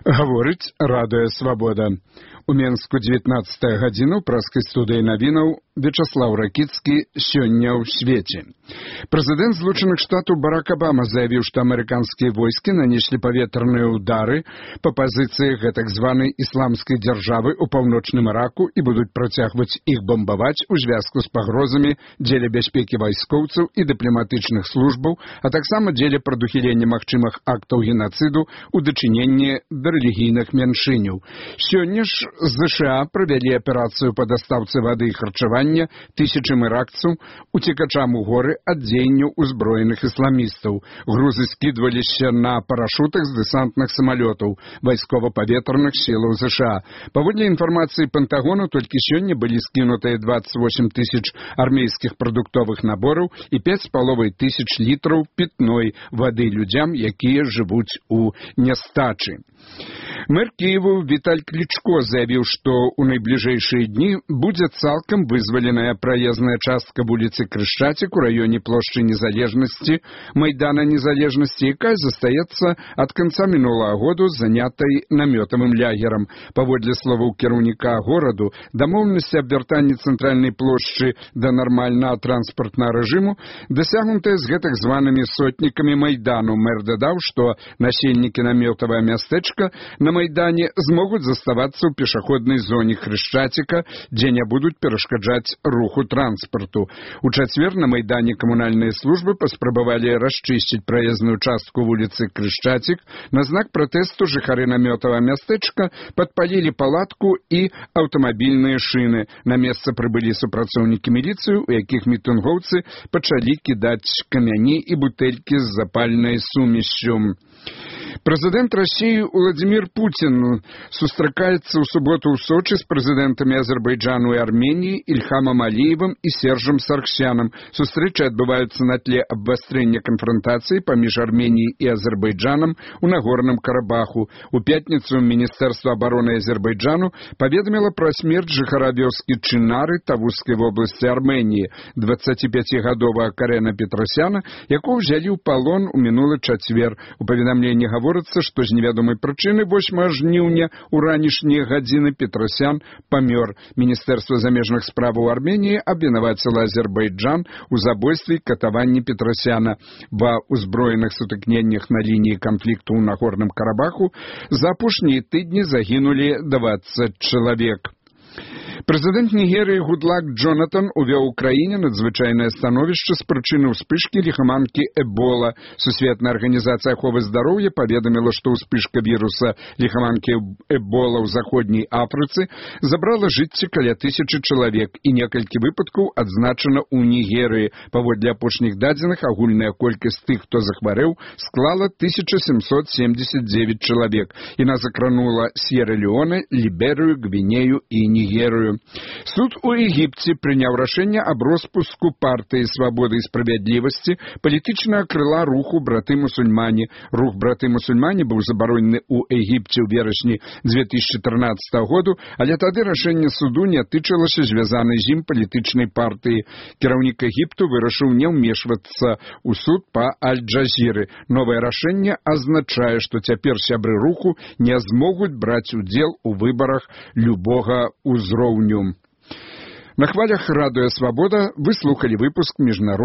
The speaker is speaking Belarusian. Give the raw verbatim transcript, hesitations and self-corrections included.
Гаворыць Радыё Свабода. У Менску дзевятнаццатая гадзіна ў праскай студыі навінаў Вячаслав Ракіцкі сёння ў свеце. Прэзідэнт Злучаных Штатаў Барак Абама заявіў, што амерыканскія войскі нанеслі паветраныя ўдары па пазіцыях гэтак званай ісламскай дзяржавы ў паўночным Іраку і будуць працягваць іх бамбаваць у звязку з пагрозамі дзеля бяспекі вайскоўцаў і дыпламатычных службаў, а таксама дзеля прадухілення магчымых актаў генацыду у дачыненні да рэлігійных меншыняў. Сёння ж ЗША правялі аперацыю па дастаўцы вады і харчавання тысячам іракцаў, уцекачам у горы ад дзеянняў узброеных ісламістаў. Грузы скідваліся на парашутах з дэсантных самалётаў вайскова-паветраных сілаў ЗША. Паводле інфармацыі Пентагону, толькі сёння былі скінутыя двадцать восемь тысяч армейскіх прадуктовых набораў і пяць з паловай тысяч літраў пітной вады людзям, якія жывуць у нястачы. Мэр Киеву Віталь Клічко заявіў, што ў найбліжэйшыя дні будзе цалкам вызваленая праезная частка вуліцы Крышчацік у раёне плошчы Незалежнасці, Майдана Незалежнасці, якая застаецца ад канца мінулага году занятай намётавым лягерам. Паводле словаў кіраўніка гораду, дамоўленасці аб вяртанні цэнтральнай плошчы да нармальнага транспартнага рэжыму дасягнутыя з гэтак званымі сотнікамі Майдану. Мэр дадаў, што насельнікі намётавага мястэчка на Майдане змогуць заставацца ў пешаходнай зоне Хрышчаціка, дзе не будуць перашкаджаць руху транспарту. У чацвер на Майдане камунальныя службы паспрабавалі расчысціць праезную частку вуліцы Крышчацік. На знак пратэсту жыхары намётавага мястэчка падпалілі палатку і аўтамабільныя шыны. На месца прыбылі супрацоўнікі міліцыі, у якіх мітынгоўцы пачалі кідаць камяні і бутэлькі з запальнай сумессю. Прэзідэнт Расіі Уладзімір Пуцін сустракаецца ў суботу ў Сочы з прэзідэнтамі Азербайджану і Арменіі Ільхамам Аліевым і Сержам Сарксянам. Сустрэчы адбываюцца на тле абвастрэння канфрантацыі паміж Арменіяй і Азербайджанам у Нагорным Карабаху. У пятніцу Міністэрства абароны Азербайджану паведаміла пра смерць жыхара вёскі Чынары Тавускай вобласці Арменіі, дваццаціпяцігадовага Карена Петрасяна, якого ўзялі ў палон у мінулы чацвер. У паведамленні гаворыцца, што з невядомай прычыны восьмага жніўня у ранішнія гадзіны Петрасян памёр. Міністэрства замежных справаў Арменіі абвінаваціла Азербайджан у забойстве і катаванні Петрасяна. Ва ўзброеных сутыкненнях на лініі канфлікту ў Нагорным Карабаху за апошнія тыдні загінулі дваццаць чалавек. Прэзідэнт Нігерыі Гудлак Джонатан увёў у краіне надзвычайнае становішча з прычыны ўспышкі ліхаманкі Эбола. Сусветная арганізацыя аховы здароўя паведаміла, што ўспышка віруса ліхаманкі Эбола ў заходняй Афрыцы забрала жыцці каля тысячы чалавек, і некалькі выпадкаў адзначана ў Нігерыі. Паводле апошніх дадзеных, агульная колькасць тых, хто захварэў, склала тысяча сямсот семьдесят девять чалавек. Яна закранула Сьерра-Леоне, Ліберыю, Гвінею і Нігерыю. Суд у Егіпце прыняў рашэнне аб роспуску партыі «Свабоды і справядлівасці» палітычнага крыла руху «Браты-мусульмане». Рух «Браты-мусульмане» быў забаронены ў Егіпце ў верасні две тысячи трынаццатага году, але тады рашэнне суду не тычылася звязанай з ім палітычнай партыі. Кіраўнік Егіпту вырашыў не ўмешвацца ў суд па Аль-Джазіры. Новае рашэнне азначае, што цяпер сябры руху не змогуць браць удзел у выбарах любога ўзроўню. На хвалях Радыё Свабода вы слухалі выпуск міжнароднага